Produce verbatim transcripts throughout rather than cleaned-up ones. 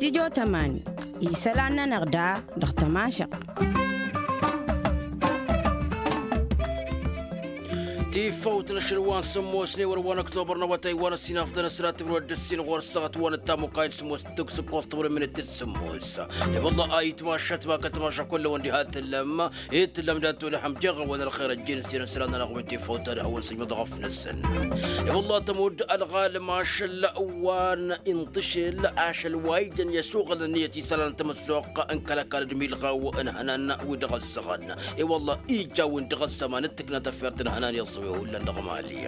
s-tijo tămani isălan-nănăɣ da dăɣ-tămašăɣt. Tifawt n-ašăl wa n-sǝmmos n-ewăr wa n-ăktobăr n-awătay wa n-ăssinafḍăn ăsratăb n-wăr dd-ǝssin ɣur-săɣăt wa n-ăttamukay n-sǝmmos d-tǝkk s-ǝkkoẓ tăwrămmet d-sǝmmos. I-wălla a itmašat ma kăl-tamaša kull-ăwăn diha tǝllăm i-tǝllăm dat-olăhăm jeɣ-awăn ălxer ăjjeen s-irăn isălan-nănăɣ wi n-tifawt ad-hawăn-sǝjmăḍ ɣăf-năsăn. I-wălla tămudd ălɣalăm ašăl wa n-inṭǝšel ašăl wa ijăn i-ăsuɣǝl ǝnniyăt isălan n-tamăssoɣt n-kăl-ăkall d-imilɣaw n-ihănan wi dăɣ-ăssăɣăn. I-wălla ija-win dăɣ-ăssăman d-tǝkna tafert n-ihănan i-ăẓẓǝwe hullan dăɣ-mali.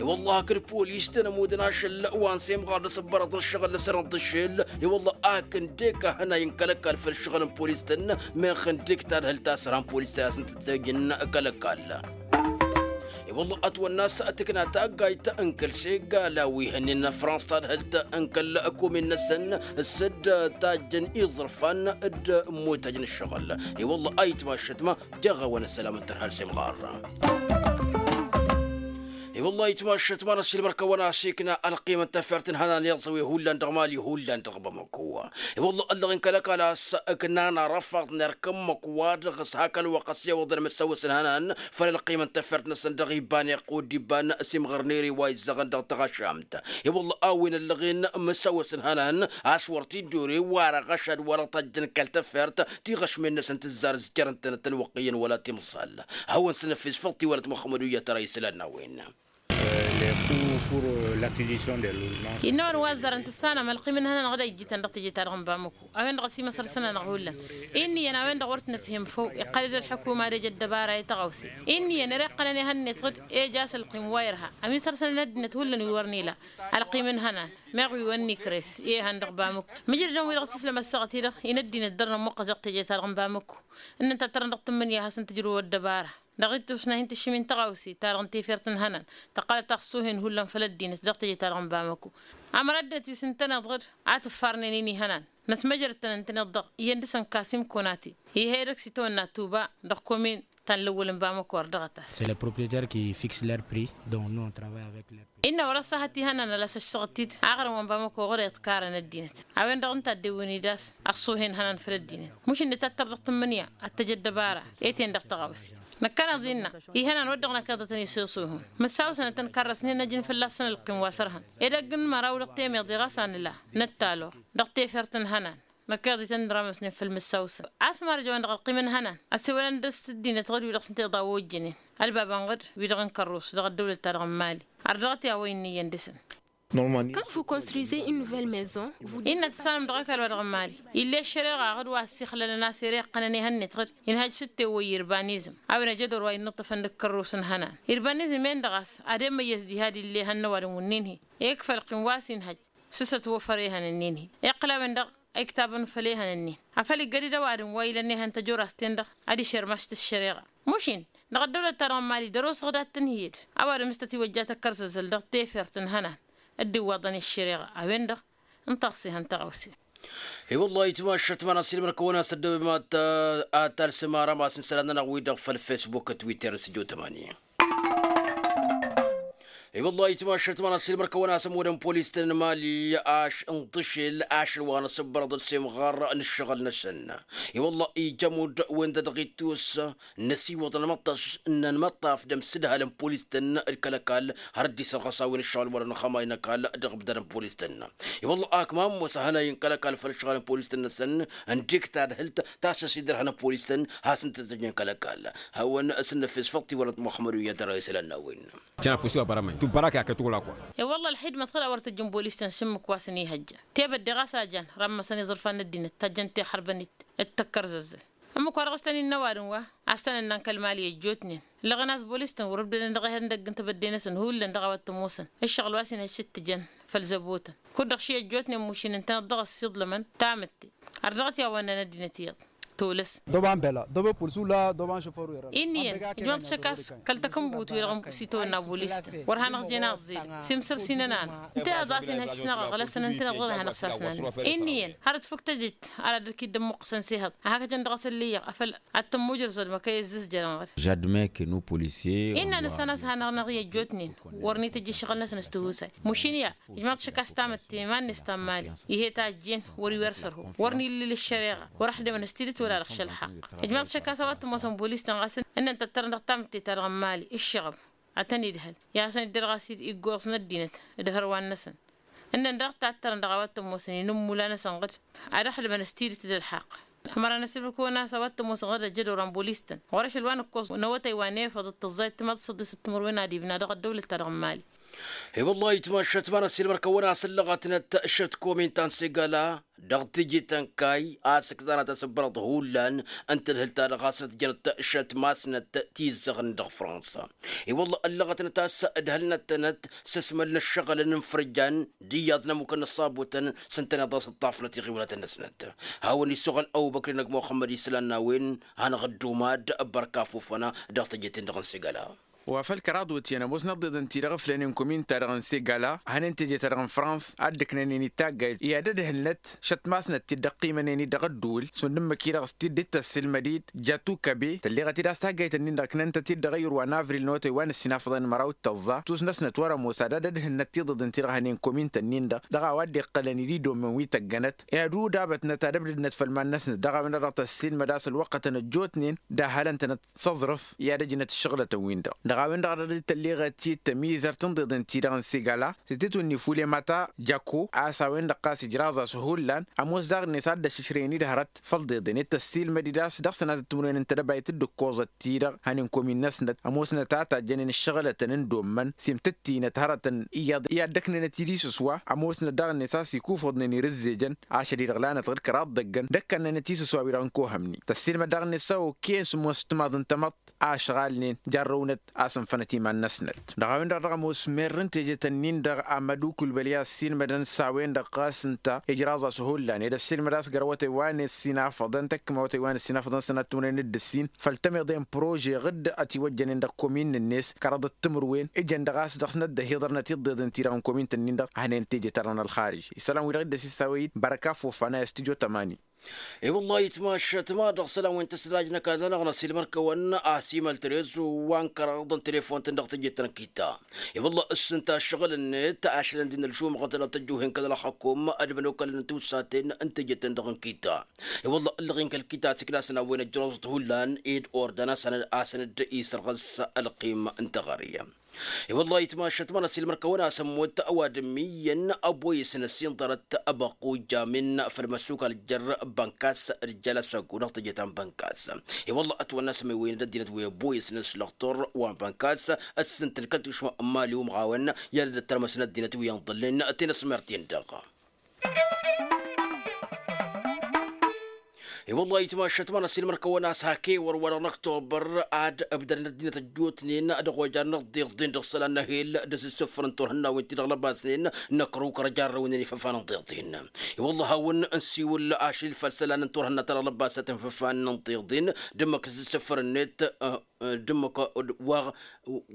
I-wălla hakd polis tăn-ămudăn ašăl wa n-semɣar d-asǝbbărăḍ n-ǝššăɣǝl n-asăr n-tǝššel. I-wălla ak ǝndek ahănay n-kăl-ăkall făll-ǝššăɣǝl n-polis tăn-meɣ ǝndek tadhǝlt a-s ărhan polis ta i-asǝntăt tejǝn kăl-ăkall. I-wălla ătwănna a-s tǝkna taggayt n-kăl-segala wi hănnen frans tadhǝlt n-kăl-ăkomin-năsăn s-dd-tajjăn iẓrǝfan d-ămmotajăn ǝššăɣǝl. I-wălla a itmašăt ma jeɣ-awăn ăssălam n-tărha ălsemɣar. I-wălla a itmašăt ma n-ăssiilmăr kăwăn-asikna ălqim n-tafert n-ihănan iẓẓǝwe hullan dăɣ-mali hullan dăɣ-bamăko. I-wălla ăllăɣen kăl-ăkall a-s ǝknan arăfaḍ n-erk ǝmmǝk wa dăɣ-s hak ălwăqq ăssewăḍăn măssawăs n-ihănan făll-ălqim n-tafert-năsăn dăɣ-iban iqqud d-iban s-imɣărnere wa izzăɣăn dăɣ-taɣašamt. I-wălla a-wen ăllăɣen măssawăs n-ihănan a-s wăr t-dd-ore wa răɣăšad wa dăɣ-tajjăn kăl-tafert tiɣăšmen-năsăn tǝzzar s-jărăn-tănăt ălwăqq iyyăn wăla timẓal. Hawăn-săn ăffes făll-tiwălăt muxămmăd uyyăt ara isălan n-a-wen. Innă ăwadǝm wa ăzzarăn tǝssanăm ălqim n-ihănan dăɣ-ijjităn dăɣ-teje-ta-dăɣ n-bamăko a-wen-dăɣ ăsimăsăr săn-anăɣ hullan. Inn'-iyyăn a-wen-dăɣ wăr t-nǝfhim făw iqqăl-dd ălḥukuma d-eja ăddăbara i-tăɣawse. Inn'-iyyăn ere iqqălăn ehăn-net ɣǝd eja a-s ălqim wa irha ămisăr săn ăddinăt hullan wi wăr n-ila ălqim n-ihănan meɣ wi wăr n-ikres i-ehăn dăɣ-bamăko. Mǝjrădăn wi-dăɣ s-tǝslăm ăssaɣăt-i-dăɣ inăddinăt dărnăm wăqqăs dăɣ-teje-ta-dăɣ n-bamăko. Ǝnnăn tattărăn dăɣ-tǝmmǝnǝya ad-hasăn-tǝjrǝw ăddăbara dăɣ-ittus n-ad-hin-tǝššǝmin tăɣawse-ta-dăɣ n-tifert n-ihănan tăqqălăt taxsuhen hullan făll-ăddinăt dăɣ-teje-ta-dăɣ n-bamăko. Amăr ăddinăt wi s-ǝntăneḍ ɣǝd a tǝffarnen-in ihănan năsmăjrăd-tăn ǝntăneḍ-dăɣ iyyăn dăɣ-săn kasim konate. Ih'-e dăɣ-s itawănna tuba dăɣ-komin ta n-lăwwăl n-bamăko ărdăɣăt-as. C'est les propriétaires qui fixent leur prix, donc nous on travaille avec leur prix. Innă wăr-ăṣṣahăt ihănan ălasăš săɣ-t-dd aɣrǝm wa n-bamăko ɣur-e ǝḍkarăn ăddinăt. A-wen-dăɣ ǝnta a dd-ewwǝn-dd a-s ăṣṣuhen ihănan făll-ăddinăt mušǝnne tattăr dăɣ-tǝmmǝnǝya ad-t-ăj ăddăbara. Etăyăn dăɣ-tăɣawse năkkăneḍ innă ihănan wăr dăɣ-năkkeḍătăn isǝṣuhun mǝssawsănăt ănkarrăsnen ăjǝn fălla-săn ălqim wa s-ărhăn. Ed ăgg n-măraw dăɣ-temeḍe ɣas a nǝla năttalor dăɣ-tefert n-ihănan. Năkkeḍ-ităn n-ramăsnen făll-mǝssawsăn a-s marăj a-wen-dăɣ ălqim n-ihănan ăssewălăn dăr-s ăddinăt ɣǝd wi-dăɣ s-ǝnta iḍa wojjănen ălbabăn ɣǝd wi-dăɣ n-kărrus dăɣ-ăddăwlăt-ta-dăɣ n-mali. Ardăɣăt i-a-wa innă iyyăn dăɣ-săn. Quand vous construisez une nouvelle maison, vous devez. Innă tǝssanăm dăɣ-ăkall wa dăɣ-n mali ill'-e ăššăreɣa ɣǝd wa ăssiixlălăn a-s ere iqqănăn ihănnit ɣǝd inhăj s-t-ewăyy irbanizm. A-wen ăjădor wa innăṭṭăfăn dăɣ-kărrus n-ihănan irbanizm-en-dăɣ a-s ad-emmăyyăs diha d-ill'-e ihăn n-ăwadǝm wǝnnin-hi. Ekf ălqim wa s-inhăj s-s-ătwăfăr ehăn-ǝnnin-hi. Iqqǝl a-wen-dăɣ a iktabăn făll-ehăn-ǝnnin. Afăl iggăd-dd ăwadǝm wa ilăn ehăn tăjorast-ten-dăɣ ad-išermaš-t ăššăreɣa. Mušin dăɣ-ăddăwlăt-ta-dăɣ n-mali dăr-osăɣ dat-tǝnhǝyăd. Ăwadǝm s-tătiwăjja tăkkărzăzzăl dăɣ-tefert n-ihănan dd-iwwaḍăn i-ăššăreɣa a-wen-dăɣ n-taɣse ihăn tăɣawse. I-wăllah itmašăt ma n-asilmăr-kăwăn-as ăddăwămat. Ad-talsǝm arămas n-isălan-nănăɣ-wi-dăɣ făll-fesbuk twitter n-săjo tămani. I-wăllah itmašăt ma n-asilmăr-kăwăn-as ămudăn polis-tăn n-mali ašăl n-tǝšel ašăl wa n-asǝbbărăḍ d-semɣar n-ǝššăɣǝl-năsăn. I-wăllah ija ămudd-wen-dăɣ ittus n-asiwăḍăn n-imăṭṭaf d-ămsǝdhal n-polis-tăn d-kăl-ăkall har dd-isărɣăs a-wen ǝššăɣǝl wăren ăxxămay n-ăkall dăɣ-ǝbdad n-polis-tăn. I-wălla ak ma ămoos ahănay n-kăl-ăkall făll-ǝššăɣǝl n-polis-tăn-năsăn ǝndek tadhǝlt ta s-ăsidărhăn polis-tăn has-ǝntătăjnen kăl-ăkall. Hawăn-s n-năfes făll-tiwălăt muxămmăd uyyăt ara isălan n-a-wen. Jănapus i-wa bărămăy tubărak i-akăt wăla kwa. I-wălla ălxidmăt ɣǝd a wăr tăjjăn bolis-tăn s-ǝmmǝk wa s-ănihăjjăn tebădde ɣas a jăn rammăsăn iẓrǝfan n-ăddinăt tajjăn tixărbăn-it d-tăkkărzăzzăl. Ǝmmǝk wa dăɣ-s tăn-innă ăwadǝm wa a-s tăn-ǝnnan kăl-mali ăjjootnen ǝllăɣen a-s bolis-tăn wăr-ǝbdădăn dăɣ-ehăndăgg n-tebădde-năsăn hullan dăɣ-a-wa t-ămoosăn ǝššăɣǝl wa s-inhăj s-ǝttǝjăn făll-zăbotăn. Kud-dăɣ ši ăjjootnen mušin ǝntăneḍ dăɣ-ăssiḍlămăn tamǝtte. Ărdăɣăt i-a-wa ǝnnan ăddinăt iyyăḍ. Tolăs. Doba n-bela doba pulsu la doba n-šufăru. Inn'-iyyăn ijmăḍ šăkkas kăl-takǝnbut-wi-dăɣ s-itawănna bulistăn wăr hanăɣ-jen aẓẓed. Simsăr s-inănanăɣ ǝnta i-ad-ḍasăn ihăj s-năɣ ăɣlăsăn ǝntăneḍ ɣur-e ad-hanăɣ-sasnanăn. Inn'-iyyăn hărăt făk tejăt ara dăr-k-dd-ămmuqqǝsăn s-ehăḍ ad-hakăjăn dăɣ-asăn lǝyyăɣ afăl ad-tămmujrǝẓ odmăkăy ǝzzǝzjărăn ɣǝd. Žadmăy kănu polisye. Innă nǝssan a-s hanăɣ-năɣ-i ăjjootnen wăr n-itǝjj ǝššăɣǝl-năsăn s-tihusay. Mašin i-ad-ijmăḍ šăkkas tamătte iman-net ta n-mali. Ihe ta ăjjeen wăr-iwăr sărho wăr n-illǝl ăššăreɣa. Wăr-ăxdămăn s-tidǝt wăla dăɣ-šălxaqq. Ijmăḍ šăkkas a-wa t-ămoosăn bolis-tăn ɣas ǝnnăn tăttărăn dăɣ-tamǝtte-ta-dăɣ n-mali ǝššăɣăb ad-tăn-idhăl i-ad-hasăn-dd-dăr ɣas iggoẓ n-ăddinăt d-hărwan-năsăn. Ǝnnăn daɣ tattărăn dăɣ-a-wa t-ămoosăn inǝmmula-năsăn ɣǝd ad-ăxdămăn s-tidǝt d-ălxaqq. Ămăra n-asǝlmǝk-wăn a-s a-wa t-ămoosăn ɣǝd ăjjădor wa n-bolis-tăn ɣur-ašăl wa n-ǝkkoẓ n-awătay wa n-efăḍ d-tǝẓẓayăt timaḍ s-ăḍḍisăt timǝrwen ad-ibna dăɣ-ăddăwlăt-ta-dăɣ n-mali. I-wăllah itmašat ma n-asilmăr kăwăn-asăllăɣătnăt šăt komin ta n-sigala dăɣ-tiji tănkay a-s ǝktanăt asǝbbărăḍ hullan n-tadhǝlt-ta-dăɣ a-s nătjănăt šăt masnăt tizzăɣăn dăɣ-fransa. I-wăllah ăllăɣătnăt a-s ǝdhălnăt-tănăt s-asmăl n-ǝššăɣǝlăn n-ifrǝjjan d-iyyăḍ n-ămmukăn n-ăṣṣabutăn s-ǝntăneḍ a-s ǝṭṭafnăt iɣiwlătăn-năsnăt. Hawăn-isuɣăl ăbubăkri n-ăgg muxămmăd islan n-a-wen hanăɣ-ăddumat bărka fufăna dăɣ-teje-ten-dăɣ n-sigăla. Wa făl kăraḍ wǝtyan ămoosnăt ḍeḍ ǝnta-i-dăɣ ǝflănen komin-ta-dăɣ n-sigăla a hănen teje-ta-dăɣ n-frans a dd-ǝknănen itaggayt i-ad-ădhǝlnăt šăt masnăt-t-dd-ăqqimănen-dd dăɣ-ădduul šund ǝmmǝk-i-dăɣ s-t-dd-tăssilmăd-dd jatu kabe tălleɣăt-dd a-s taggayt-ǝnnin-dăɣ ǝknăn-tăt-dd dăɣ-ayǝr wa n-avril n-awătay wa n-ǝssin afḍăn măraw d-tăẓẓa tus-năsnăt wăr-ămoos ad-ad-ădhǝlnăt tiḍeḍ ǝnta-i-dăɣ hănen komin-tăn-in-dăɣ dăɣ-a-wa dd-iqqălăn-dd idommăn wi tăggănăt i-ad-udabătnăt ad-ăbdădnăt făll-iman-năsnăt dăɣ-a-wen-dăɣ dăɣ-tăssilmăd a-s ălwăqqătăn ăjjootnen d-ahălăn-tănăt s-aẓrǝf i-ad-ăjnăt ǝššăɣǝlătăn-win-dăɣ dăɣ-a-wen-dăɣ dăɣ-dd-tălleɣăt-dd tămizărt n-ḍeḍen-ti-dăɣ n-sigăla s-tǝtwǝnni fule mata jako a-s a-wen-dăɣ ɣas ǝjraẓ-as hullan ămoos daɣ-net ad-dd-ăššǝšrăyăn-dd hărăt făll-ḍeḍen ed tăssiilmăd-dd a-s dăɣ-sănatăt timǝrwen n-tedăbayt dd-ǝkkoẓăt-ti-dăɣ hănen komin-năsnăt ămoosnăt a tajjănen ǝššăɣǝlătăn n-dommăn s-imtǝttinăt hărătăn iyyăḍ i-ad-dd-ăknănăt idis s-wa ămoosnăt daɣ-net a-s ikufuḍnen irǝzzejăn ašăl-i-dăɣ lanăt ɣǝr kăraḍ dăggăn d-ăkkănnănăt isǝswa-wi-dăɣ n-kohămni tăssiilmăd daɣ-net s-a okăyăn sǝmmos timaḍ n-tamăḍt a ăšɣalnen jarrăwnăt a-s ǝnfănăt iman-năsnăt dăɣ-a-wen-dăɣ dăɣ-ămoos merr n-teje-tăn-in-dăɣ amădukǝl băli a ăssiilmădăn s-a-wen-dăɣ ɣas ǝnta ijraẓ-as hullan ed ăssiilmăd a-s găr awătay wa n-ăssin afăḍăn tăkkǝm awătay wa n-ăssin afăḍăn sănat timǝrwen d-ǝssin făll-tămiḍe n-prože ɣǝdd ătiwăjjănen dăɣ-komin-net kăraḍăt timǝrwen ijăn-dăɣ a-s dăɣ-snăt dd-ăhiḍărnăt iḍeḍen-ti-dăɣ n-komin-tăn-in-dăɣ a hănen teje-ta-dăɣ n-ălxarǝj isălan-wi-dăɣ dd-ăsisawăy-dd bărka fofana i-stujo tămani. I-wăllah itmašat ma dăɣ-isălan wi n-tăsdajnăk ad-hanăɣ-năsilmăr-kăwăn a-s imăl tărez wa n-kăraḍ n-telefon-tăn dăɣ-teje-tăn n-kitta. I-wăllah ǝssǝnta ǝššăɣǝl-net ašăl ǝndin ălšumăɣăt dăɣ-tăjjuhen kăl-ălxăkum ad-mănokălăn n-tiwsaten n-teje-tăn-dăɣ n-kitta. I-wăllah ǝllăɣ-in kăl-kitta tiklasăn a-wen ăjrăẓăt hullan ed ordan a-s ănăd-isărɣăs ălqim n-teɣăre. I-wăllah itmašat ma n-ăsilmăr-kăwăn a-s ămmut ăwadǝm iyyăn ăboyăsnăs inḍărăt ăbăqqu jamin făll-măssukal jer-bănkas d-jalăsăggu dăɣ-teje ta n-bănkas. I-wăllah ătwănna s-măywăynăd ăddinăt wi ăboyăsnăs lăxtur wa n-bănkas ăssǝntăn kăl-tušma n-mali umɣawăn i-ad-dd-ăttărmăsnăt ăddinăt wi ănḍălnen tinăsmert-in-dăɣ. I-wăllah itmašat ma n-ăsilmăr-kăwăn a-s hak ewăr wa dăɣ-năktobăr ad-ǝbdădăn ăddinăt ăjjootnen dăɣ-ojad n-ăḍḍiḍen dăɣ-isălan n-ehel d-asǝssǝfăr n-turhǝnna-wen-ti-dăɣ lăbasnen năkrǝw kăr-ăjarrăwnen ifăfan n-ḍiḍen. I-wăllah hawăn-nǝsiwǝl ašăl făll-isălan n-turhǝnna-ta-dăɣ lăbasăt n-ifăfan n-ḍiḍen d-ǝmmǝk asǝssǝfăr-net d-ǝmmǝk wa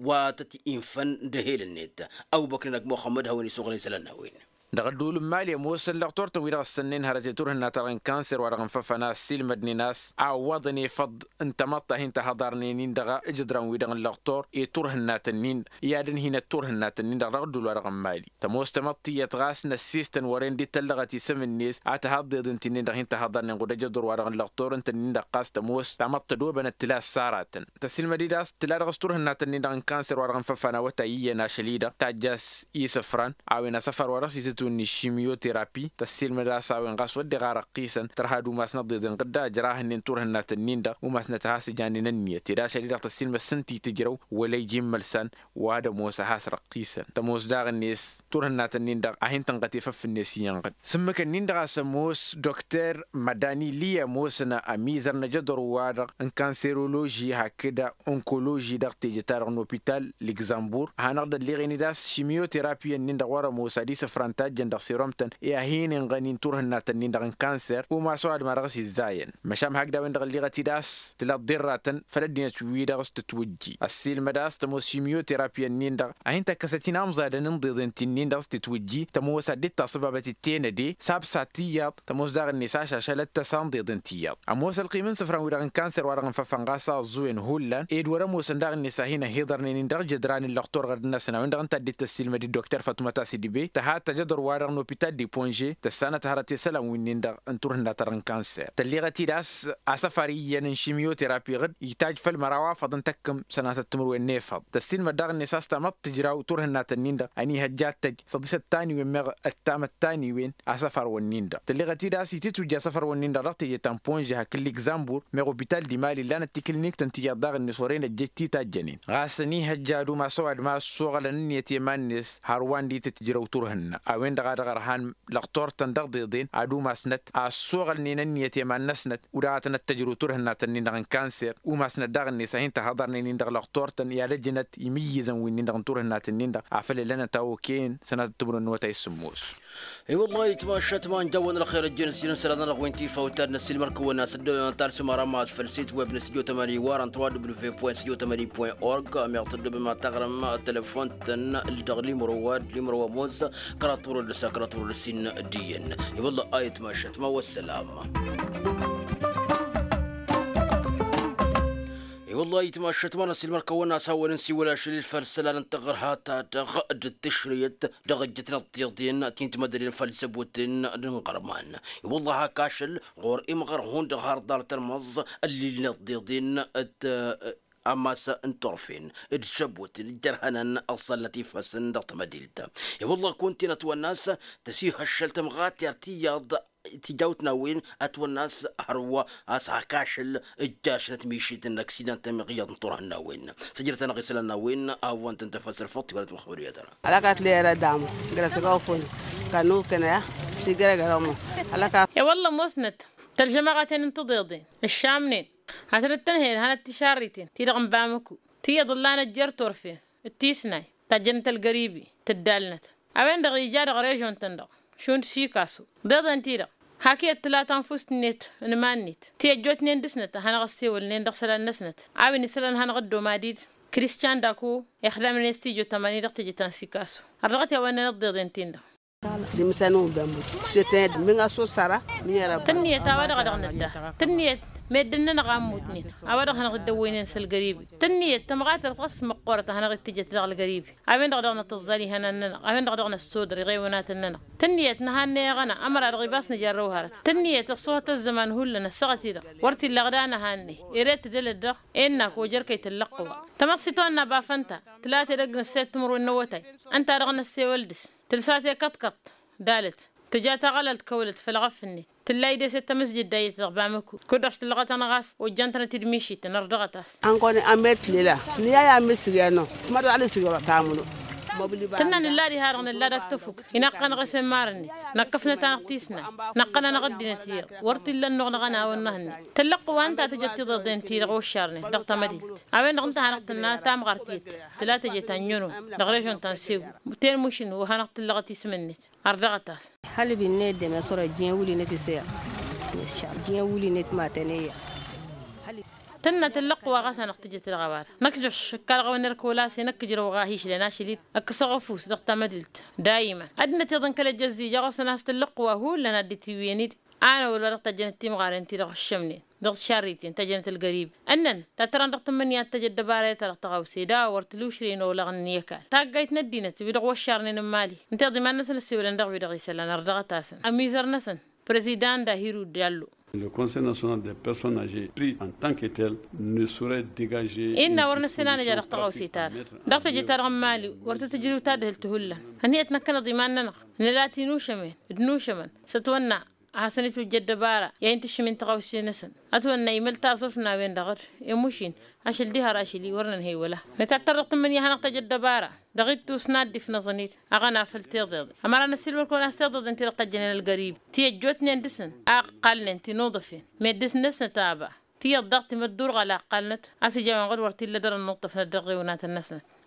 wa tăt-infăn d-ehel-net. Ăbubăkr-in ăgg muxămmăd hawăn-isuɣǝlăn isălan n-a-wen. Dăɣ-ădduul n-mali ămoosăn lăɣtor-tăn wi-dăɣ ǝssănnen hărăt i-turhǝnna-ta-dăɣ n-kanser wa-dăɣ n-făfăn a ăssiilmădnen a-s a ǝwwăḍăn efăḍ n-tamăḍt ta hin-tăhăḍarnen-in dăɣ-ijǝḍran-wi-dăɣ n-lăɣtor i-turhǝnna-tăn-in i-ad-ǝnhinăt turhǝnna-tăn-in-dăɣ dăɣ-ădduul wa dăɣ-n mali. Tămoos tamăḍt tiyyăt ɣas n-ăssiistăn wăren dd-tăllăɣăt isǝm-net a tǝha ăḍḍeḍ ǝnta-nin-dăɣ hin-tăhăḍarnen ɣud ejăḍur-wa-dăɣ n-lăɣtor ǝntăn-in-dăɣ ɣas tămoos tamăḍt tădobănăt tǝla ăssarătăn. Tăsilmăd-dd a-s tǝla dăɣ-s turhǝnna-tăn-in-dăɣ n-kanser wa dăɣ-n făfan awătay iyyăn ašăl-i-dăɣ tajj'-as isǝfran a-wen asăfar wa dăɣ-s itǝtwǝnni šimyoterapi tăsilmăd a-s a-wen ɣas wădden ɣarăqqisăn tărha ad-umasnăt ḍeḍen ɣǝdda ǝjrahăn-nen turhǝnna-tăn-in-dăɣ umasnăt a has-ǝjanen ǝnniyăt ed ašăl-i-dăɣ tăsilmăd s-ǝnta itǝjrăw wăla ija immălsan wa d-ămoos a has-răqqisăn tămoos daɣ-net turhǝnna-tăn-in-dăɣ a hin-tănɣăt efăf-net iyyăn ɣǝd s-ǝmmǝk-ǝnnin-dăɣ a-s ămoos dokter mădani li ămoosăn ămizăr n-ajăḍăr-wa-dăɣ n-kanseroloži hakd onkoloži dăɣ-teje-ta-dăɣ n-opital ligzambur a hanăɣ-dd-ălleɣen-dd a-s šimyoterapi-ǝnnin-dăɣ wăr-ămoos ad-isǝfrăn ta ăjjăn dăɣ-seromtăn i-ad-hin-inɣănin turhǝnnatăn-in-dăɣ n-kanser umas ăwadǝm-a-dăɣ s-izzayăn. Măšan hakd a-wen-dăɣ ălliɣăt-dd a-s tǝla dd-irratăn făll-ăddinăt-wi-dăɣ s-tǝtwǝjji ăssiilmăd a-s tămoos šimyoterapi-ǝnnin-dăɣ a hin-tăkkăsăt-in amẓadăn n-iḍeḍen ti-nin-dăɣ s-tǝtwǝjji tămoos ad-dd-taṣǝbabăt d-tenăde s-absa tiyyăḍ. Tămoos daɣ-net ašašălăt tăsa n-iḍeḍen tiyyăḍ ămoos ălqim n-isǝfran-wi-dăɣ n-kanser wa dăɣ-nǝfăfănɣas a ăẓẓuwen hullan ed wăr-ămoosăn daɣ-net a hin-ăhiḍărnen-in dăɣ-jădran n-lăxtur ɣărd-năsăn a-wen-dăɣ ǝnta a dd-tăssiilmăd d-dokter fătumăt a-s idǝbe tăhat tăjăḍăr-wa-dăɣ n-opital de ponže tăssanăt hărăt i-isălan wi-nin-dăɣ n-turhǝnna-ta-dăɣ n-kanser tălleɣăt-dd a-s asăfar iyyăn n-šimyoterapi ɣǝd itaj făll-măraw afăḍ n-tăkkǝm sănatăt timǝrwen n-efăḍ tăssiilmăd daɣ-net a-s tamăḍt tǝjraw turhǝnnatăn-in-dăɣ ănihăjja ad-tăj săḍisăt taniwen meɣ ăttamăt taniwen. Asăfar-wǝnnin-dăɣ tǝlleɣăt-dd a-s itǝtwǝjja asăfar-wǝnnin-dăɣ dăɣ-teje ta n-ponže hakd ligzambur meɣ opital d-imali ǝllanăt tikǝlniktăn tiyyăḍ daɣ-net wăren ăjjăj titajjănen ɣas ănihăjja ad-umas ăwadǝm a ăssoɣălăn ǝnniyăt i-iman-net hărwa n-ditǝtǝjrăw turhǝnna a-wen-dăɣ a dăɣ-ărhan lăqtor-tăn dăɣ-iḍeḍen ad-umasnăt a ăssoɣălnen ǝnniyăt i-iman-năsnăt. Wăr-dăɣ a tăn-ăttăjrǝw turhǝnnatăn-in-dăɣ n-kanser umasnăt daɣ-net a hin-tăhăḍărnen-in-dăɣ lăqtor-tăn i-ad-ăjnăt imǝyyǝzăn wi-nin-dăɣ n-turhǝnnat-nin-dăɣ afăl ǝllănăt a okăyăn sănatăt timǝrwen n-awătay s-sǝmmos. I-wăllah itmašat ma n-dawăn ălxer ăjjeen s-inǝsălan-anăɣ wi n-tifawt ad-năssiilmăr kăwăn-as ăddăbem ad-talsǝm aramaz făll-sit web n-studio tămani wa n-trois w point studio tămani point org meɣ tăddăbem ad-taɣrǝm telefon-tăn dăɣ-limro wa d-limro wa ămoos kăraḍ timǝrwen d-ǝssa kăraḍ timǝrwen d-ǝssin d-iyyăn. I-wălla a itmašat ma wăssălam. I-wălla a itmašat ma n-ăssiilmăr kăwăn-as hawăn-in-siwăl ašăl-i făll-isălan n-taɣărha-ta-dăɣ d-tǝšrǝyăt dăɣ-ǝjjǝtnăt tiḍen ti n-timăddăden făll-isăbutǝn n-inɣărman. I-wălla hak ašăl ɣur-imɣăr hundăɣ har ḍarăt ălmăẓẓ ăllilnet tiḍen d-ammas n-turfen d-săbutǝn ǝjjărhănăn ăṣṣălnăt ifasăn dăɣ-tamădilt. I-wălla kuntinăt wănnas tăsihăššăl tămɣatert iyyăḍ tijawt n-a-wen ătwănna a-s hărwa a-s hak ašăl ǝjjašnăt mišit n-ăksidant ămiɣ iyyăḍ n-turhǝnna a-wen. Săjdăt-anăɣ isălan n-a-wen a hawăn-tăn-tăfăsăl făṭṭ iwălăt măxbăr i-ad-ăra. Alăkat lera damu gărăsăga ofun kănu kănăya. Sigărăgărămu alăkat. I-wălla ămoosnăt tălžămaɣăten n-tiḍeḍen ǝššamnen ad-tănăt-tǝnhăyăl hanăt-tišarriten ti-dăɣ n-bamăku tiyyăḍ ǝllanăt jer-turfen d-tisnay tajjănăt ălgăribi tǝddalnăt. A-wen-dăɣ ija dăɣ-režon-tăn-dăɣ šund sikasu deḍen-ti-dăɣ hak iyyăt tǝla tanfust-net n-iman-net ti ăjjootnen dăɣ-snăt a hanăɣ-ăssewălnen dăɣ-isălan-năsnăt a-wen isălan hanăɣ-dd-omadid krišćan daku ixdamnen s-tijo tămani dăɣ-teje ta n-sikasu. Ărdăɣăt i-a-wa ǝnnănăt deḍen-tin-dăɣ. Dimsăn-un bămut seten d-miŋ ăsusăra. Tǝnniyăt a-wa dăɣ-dăɣ nǝdda tǝnniyăt meddǝn-nănăɣ a ǝmmutnen a-wa dăɣ-hanăɣ-dd-ăwwăynen s-ălgăribi. Tǝnniyăt tămɣatărt ɣas măqqoorăt a hanăɣ-dd-tǝjjăt dăɣ-ălgăribi. A-wen-dăɣ dăɣ-nătǝẓẓal ihănan-nănăɣ a-wen-dăɣ dăɣ-năssodăr iɣeywănatăn-nănăɣ. Tǝnniyăt nǝhanne aɣăna ămăra-dăɣ ibas nǝjarrăw hărăt tǝnniyăt ăṣṣuhăt ăzzăman hullan ăssaɣăt-i-dăɣ wăr t-illa ăɣda nǝhanne. Ere tǝdălăt dăɣ-e ǝnnak ojăr kăy-tǝllăqqǝwa. Tamăḍt s-itwănna bafănta tǝla tedăgg n-ǝssed timǝrwen n-awătay. Ǝnta-dăɣ năssewăl dăɣ-s tǝlsa tekăḍkăḍt dalăt tǝja taɣălalt kăwălăt făll-ɣăf-net. Tǝllay des i-tamǝsjǝd dayyăt dăɣ-bamăku. Kud-dăɣ s-tǝllăɣăt-anăɣ a-s ojjan-tănăt-dd mišităn ărdăɣăt-as. Ănkonen ămmet lela nǝya i-amǝsǝg i-anăɣ. Tǝmăḍal isǝg i-orăt amǝnu. Tǝnna nǝlla diha-dăɣ nǝlla d-ad-tăfuk inăqqăn ɣas i-imarăn-net. Năkkăfnăt-anăɣ tisna năqqăn-anăɣ ăddinăt iyyăḍ. Wăr t-illa ănnuɣ năɣ-ănawăn năhănne. Tăllăqqǝwa ǝnta a tǝjăt tiḍeḍen-ti-dăɣ oššarnen dăɣ-tamădilt. A-wen-dăɣ ǝnta a hanăɣ-tǝnna tamɣart i-dd tǝla teje ta n-ǝnyon dăɣ-režon ta n-segu. Ten mušǝn wa hanăɣ-tǝllăɣăt isǝm-net. Ărdăɣăt-as. Hălib-in n-eddem i-săr ăjjǝyăn wul-inet isăyăr. Ăjjǝyăn wul-inet matăn iyyăr. Tǝnna tǝllăqqǝwa ɣas hanăɣ-tǝjǝt dăɣ-a-wa-dăɣ năkjăš ǝkka dăɣ-a-wen erk wăla s-e-năkkǝjrăw ɣa hišlăn ašăl-i d-ăkkăsăɣ ăfuss dăɣ-tamădilt. Dayǝmăn ăddinăt iyyăḍ n-kăl-ejăzzija ɣur-săn a-s tǝllăqqǝwa hullan ad-dd-tiwǝyăn-dd. Anăwăl wa dăɣ-tăjjănăt timɣaren-ti-dăɣ ăššămnen dăɣ-tišarriten tăjjănăt ălgărib. Ǝnnăn ta tărăn dăɣ-tǝmmǝnǝya ad-tăj ăddăbarayăt ta dăɣ-tăɣawse d-a-wa wăr t-lušren olăɣnen i-ăkall taggayt n-ăddinăt wi-dăɣ wăššarnen n-imali. Ǝnta iḍǝman-năsăn ăssewălăn dăɣ-wi-dăɣ isălan ărdăɣăt-asăn ămizăr-năsăn. Prezidant dahiru dallo. Le conseil national des personnes âgées pris en tant que tel ne saurait dégager. Innă wăr năssenanăja dăɣ-tăɣawse-ta-dăɣ dăɣ-teje-ta-dăɣ n-imali wăr tăt-ǝjrǝw tadhǝlt hullan. Ănhăyăt năkkăneḍ iman-nănăɣ nǝla tinušămen d-inušămăn s-ătwănna a hasăn-itwǝjja ăddăbara i-ad-hin-tǝššǝm i-tăɣawse-năsăn. Ătwănna imăl taẓurt n-a-wen-dăɣ d-emuš-in ašăl diha rašăl-i wăr nǝnhăy wăla. Nǝtattăr dăɣ-tǝmmǝnǝya hanăɣ-tăj ăddăbara dăɣ-ittus n-ad-dd-ifnăẓăn-dd aɣăna făll-tiḍeḍen. Ămăra năssiilmăr-kăwăn a-s tiḍeḍen ti-dăɣ tăjjănen ălgărib ti ăjjootnen dăɣ-săn a ǝqqalnen tinuḍăfen meddǝs-năsnăt aba. Tiyyăḍ daɣ timăddurɣal a ǝqqalnăt a-s ija a-wen-dăɣ wăr t-illa dăr-ănnuṭṭăfnăt dăɣ-iɣewnatăn-năsnăt.